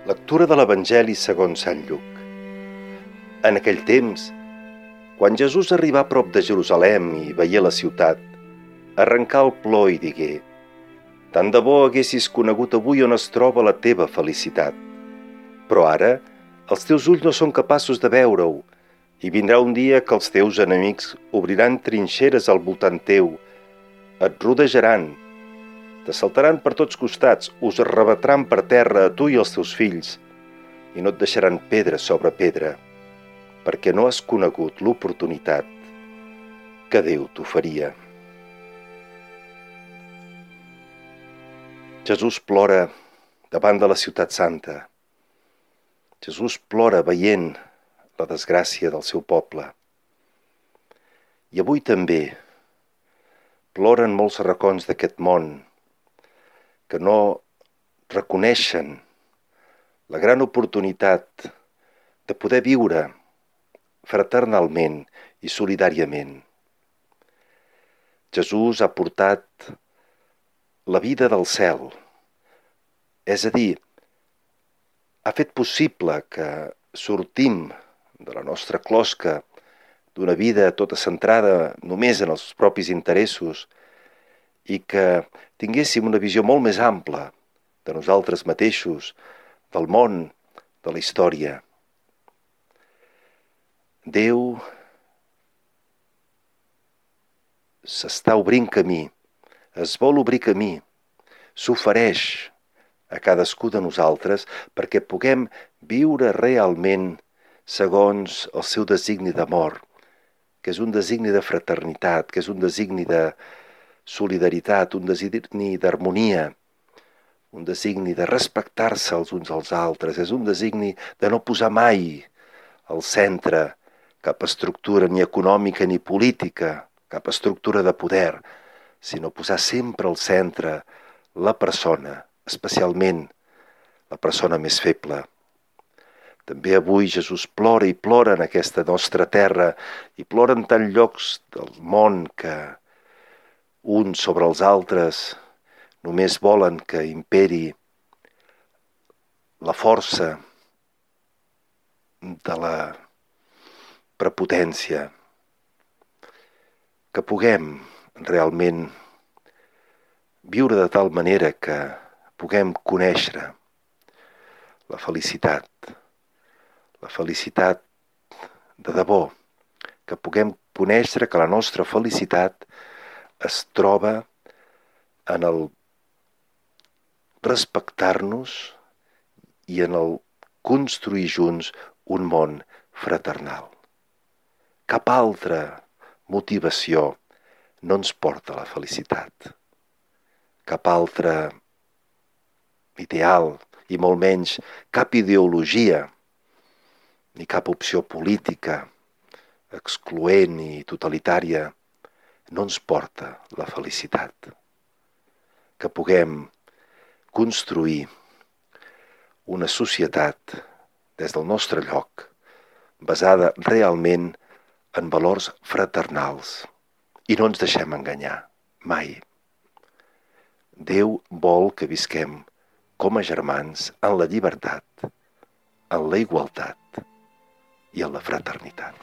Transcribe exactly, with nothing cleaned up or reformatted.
Lectura de l'Evangeli segons Sant Lluc. En aquell temps, quan Jesús arribà a prop de Jerusalem i veié la ciutat, arrencà el plor i digué: «Tant de bo haguessis conegut avui on es troba la teva felicitat. Però ara els teus ulls no són capaços de veure-ho, i vindrà un dia que els teus enemics obriran trinxeres al voltant teu, et rodejaran, t'assaltaran per tots costats, us arrebatran per terra a tu i als teus fills, i no et deixaran pedra sobre pedra, perquè no has conegut l'oportunitat que Déu t'oferia». Jesús plora davant de la ciutat santa. Jesús plora veient la desgràcia del seu poble. I avui també ploren molts racons d'aquest món que no reconeixen la gran oportunitat de poder viure fraternalment i solidàriament. Jesús ha portat la vida del cel, és a dir, ha fet possible que sortim de la nostra closca d'una vida tota centrada només en els propis interessos i que tinguéssim una visió molt més ampla de nosaltres mateixos, del món, de la història. Déu s'està obrint camí, es vol obrir camí, s'ofereix a cadascú de nosaltres perquè puguem viure realment segons el seu designi d'amor, que és un designi de fraternitat, que és un designi de solidaritat, un designi d'harmonia, un designi de respectar-se els uns als altres, és un designi de no posar mai al centre cap estructura ni econòmica ni política, cap estructura de poder, sinó posar sempre al centre la persona, especialment la persona més feble. També avui Jesús plora i plora en aquesta nostra terra i plora en tants llocs del món que uns sobre els altres només volen que imperi la força de la prepotència. Que puguem realment viure de tal manera que puguem conèixer la felicitat, la felicitat de debò, que puguem conèixer que la nostra felicitat es troba en el respectar-nos i en el construir junts un món fraternal. Cap altra motivació no ens porta a la felicitat. Cap altre ideal, i molt menys cap ideologia, ni cap opció política excloent i totalitària no ens porta la felicitat. Que puguem construir una societat des del nostre lloc basada realment en valors fraternals i no ens deixem enganyar, mai. Déu vol que visquem com a germans en la llibertat, en la igualtat i en la fraternitat.